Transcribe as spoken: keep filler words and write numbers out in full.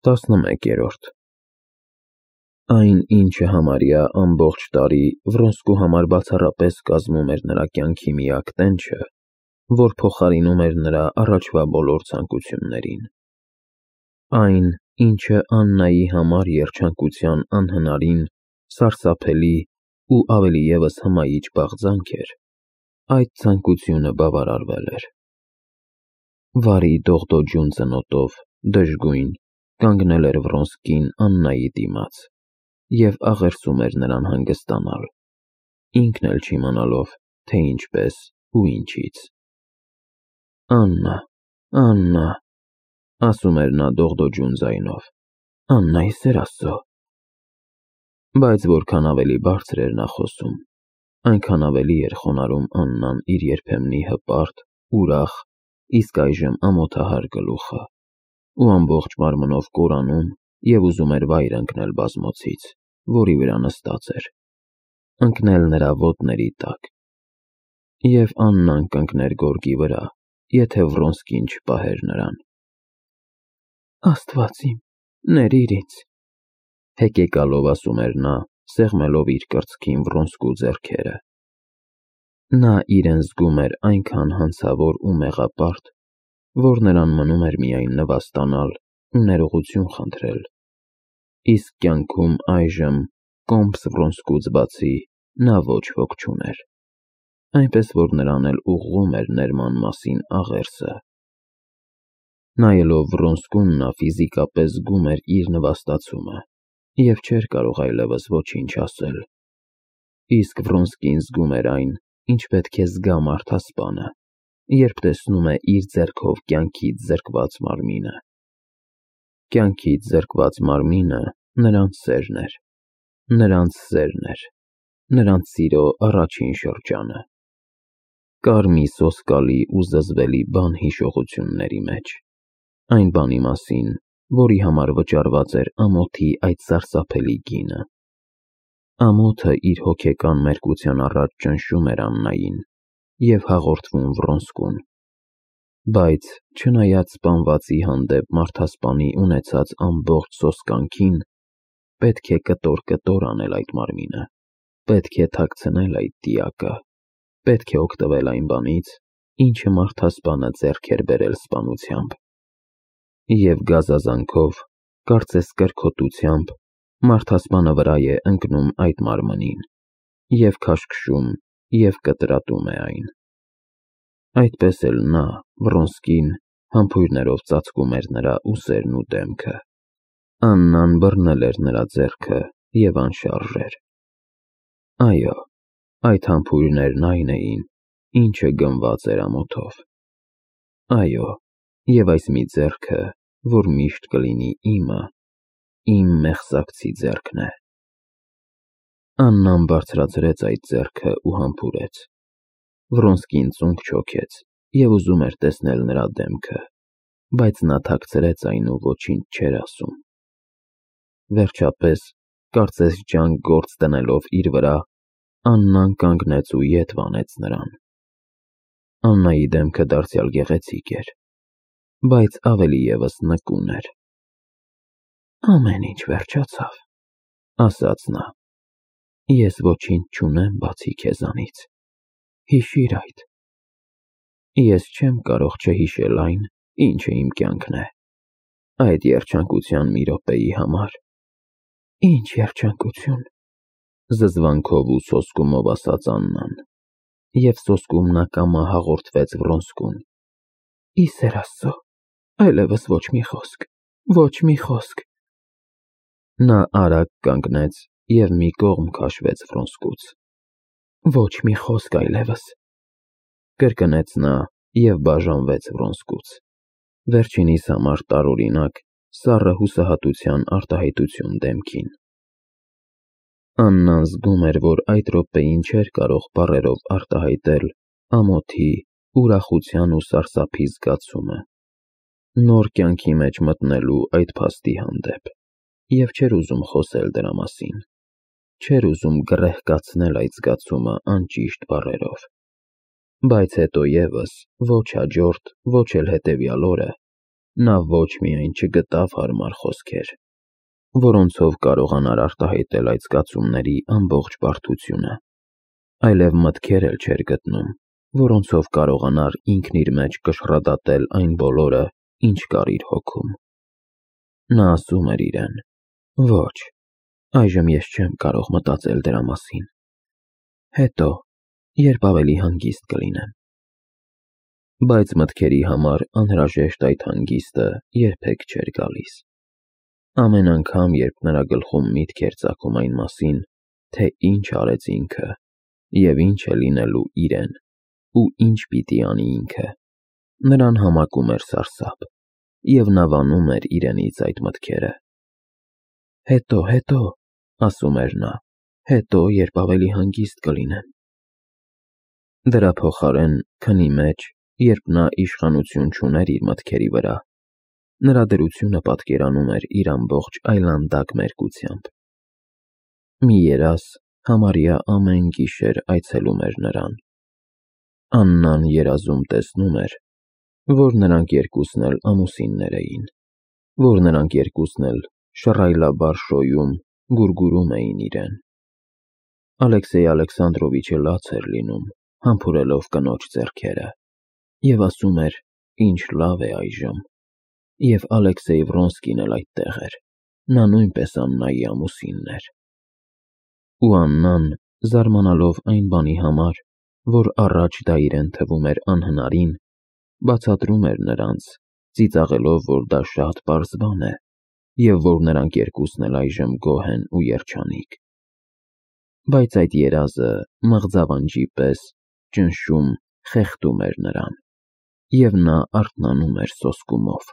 տասնմեկերորդ Այն, ինչը համարյա ամբողջ տարի Վռոնսկու համար բացառապես կազմում էր նրա կյանքի միակ տենչը, որ փոխարինում էր նրա առաջվա բոլոր ցանկություններին։ Այն, ինչը Աննայի համար երջանկության անհնարին, սարսափելի ու ավելի ևս հմայիչ բաղձանք էր, այդ ցանկությունը բավարարվել էր։ Վարի դողդոջուն ծնոտով, դժգույն, կանգնել էր Վռոնսկին Աննայի դիմաց և աղերսում էր նրան հանգստանալ, ինքն էլ չիմանալով, թե ինչպես ու ինչից։ «Աննա, Աննա», ասում էր նա դողդոջուն ձայնով, «Աննայի սեր Աստծո»։ Բայց որքան ավելի բարձր էր նա խոսում, այնքան ավելի էր խոնարհում Աննան իր երբեմնի հպարտ, ուրախ, իսկ այժմ ամոթահար գլուխը, ու ամբողջ մարմնով կորանում և ուզում էր վայր ընկնել բազմոցից, որի վրա նստած էր, ընկնել նրա ոտների տակ։ Եվ Աննան կընկներ գորգի վրա, եթե Վռոնսկին չպահեր նրան։ «Աստված իմ, ներիր ինձ», հեկեկալով ասում էր նա, սեղմելով իր կրծքին Վռոնսկու ձեռքերը։ Նա իրեն զգում էր այնքան հանցավոր ու մեղապարտ, որ նրան մնում էր միայն նվաստանալ ու ներողություն խնդրել, իսկ կյանքում այժմ, կոմս Վռոնսկուց բացի, նա ոչ ոք չուներ, այնպես որ նրան էլ ուղղում էր ներման մասին աղերսը։ Նայելով Վռոնսկուն նա ֆիզիկապես զգում էր իր նվաստացումը և չէր կարող այլևս ոչինչ ասել, իսկ Վռոնսկին զգում էր այն, ինչ պետք է զգա մարդասպանը, երբ տեսնում է իր ձեռքով կյանքից զրկված մարմինը։ Կյանքից զրկված մարմինը նրանց սերն էր, նրանց սերն էր, նրանց սիրո առաջին շրջանը։ Կար մի սոսկալի ու զզվելի բան հիշողությունների մեջ, այն բանի մասին, որի համար վճարված էր ամոթի այդ սարսափելի գինը։ Ամոթը իր հոգեկան մերկության առաջ ճնշում էր Աննային և հաղորդվում Վռոնսկուն, բայց չնայած սպանվածի հանդեպ մարդասպանի ունեցած ամբողջ սոսկանքին, պետք է կտոր-կտոր անել այդ մարմինը, պետք է թաքցնել այդ դիակը, պետք է օգտվել այն բանից, ինչը մարդասպանը ձեռք էր բերել սպանությամբ։ Եվ գազազանքով, կարծես կրքոտությամբ, մարդասպանը վրա է ընկնում այդ մարմնին և քաշքշում և կտրատում է այն։ Այդպես էլ նա, Վռոնսկին, համբույրներով ծածկում էր նրա ուսերն ու դեմքը։ Աննան բռնել էր նրա ձեռքը և անշարժ էր։ Այո, այդ համբույրներն այն էին, ինչը գնված էր ամոթով։ Այո, և այս մի ձեռքը, որ միշտ կլինի իմը, իմ մեղսակցի ձեռքն է։ Աննան բարձրացրեց այդ ձեռքը ու համբուրեց։ Վռոնսկին ծունկ չոքեց և ուզում էր տեսնել նրա դեմքը, բայց նա թաքցրեց այն ու ոչինչ չէր ասում։ Վերջապես, կարծես ջանք գործ դնելով իր վրա, Աննան կանգնեց ու ետ վանեց նրան։ Աննայի դեմքը դարձյալ գեղեցիկ էր, բայց ավելի ևս նկուն էր։ «Ամեն ինչ վերջացավ», ասաց նա, «ես ոչինչ չունեմ բացի քեզանից, հիշիր այդ»։ Ես չեմ կարող չհիշել այն, ինչը իմ կյանքն է, այդ երջանկության մի րոպեի համար։ «Ինչ երջանկություն», զզվանքով ու սոսկումով ասաց Աննան, և սոսկումն ակամա հաղորդվեց Վռոնսկուն։ «Ի սեր Աստծո, այլևս ոչ մի խոսք, ոչ մի խոսք»։ Նա արագ կանգնեց և մի կողմ քաշվեց Վռոնսկուց։ «Ոչ մի խոսք այլևս», կրկնեց նա և բաժանվեց Վռոնսկուց, վերջինիս համար տարօրինակ, սառը հուսահատության արտահայտություն դեմքին։ Աննան զգում էր, որ այդ րոպեին չէր կարող բառերով արտահայտել ամոթի, ուրախության ու սարսափի զգացումը, նոր կյանքի մեջ մտնելու այդ փաստի հանդեպ, և չէր ուզում խոսել դրա մասին, չէր ուզում գռեհկացնել այդ զգացումը անճիշտ բառերով։ Բայց հետո ևս, ոչ հաջորդ, ոչ էլ հետևյալ օրը, Նա ոչ միայն չգտավ հարմար խոսքեր, որոնցով կարողանար արտահայտել այդ զգացումների ամբողջ բարդությունը, այլև մտքեր էլ չէր գտնում, որոնցով կարողանար ինքն իր մեջ կշռադատել այն բոլորը, ինչ կար իր հոգում։ Նա ասում էր իրեն. «Ոչ, այժմ ես չեմ կարող մտածել դրա մասին։ Հետո, երբ ավելի հանգիստ կլինեմ»։ Բայց մտքերի համար անհրաժեշտ այդ հանգիստը երբեք չէր գալիս։ Ամեն անգամ, երբ նրա գլխում միտք էր ծագում այն մասին, թե ինչ արեց ինքը և ինչ է լինելու իրեն ու ինչ պիտի անի ինքը, նրան համակում էր սարսափ, և նա վանում էր իրենից այդ մտքերը։ «Հետո, հետո», ասում էր նա, «հետո, երբ ավելի հանգիստ կլինեմ»։ Դրա փոխարեն, քնի մեջ, երբ նա իշխանություն չուներ իր մտքերի վրա, նրա դրությունը պատկերանում էր իր ամբողջ այլանդակ մերկությամբ։ Մի երազ համարյա ամեն գիշեր այցելում էր նրան։ Աննան երազում տեսնում էր, որ նրանք երկուսն էլ ամուսիններ էին, որ նրանք երկուսն էլ շռայլաբար շոյում, գուրգուրում էին իրեն։ Ալեքսեյ Ալեքսանդրովիչը լաց էր լինում, համբուրելով կնոջ ձեռքերը, և ասում էր, ինչ լավ է այժմ, և Ալեքսեյ Վրոնսկին էլ այդտեղ էր, նա նույնպես Աննայի ամուսինն էր։ Ու Աննան, զարմանալով այն բանի համար, որ առաջ դա իրեն թվում էր անհնարին, բացատրում էր նրանց, ծիծաղելով, որ դա շատ պարզ բան է, և որ նրանք երկուսն էլ այժմ գոհ են ու երջանիկ։ Բայց այդ երազը մղձավանջի պես ճնշում, խեղդում էր նրան, և նա արթնանում էր սոսկումով։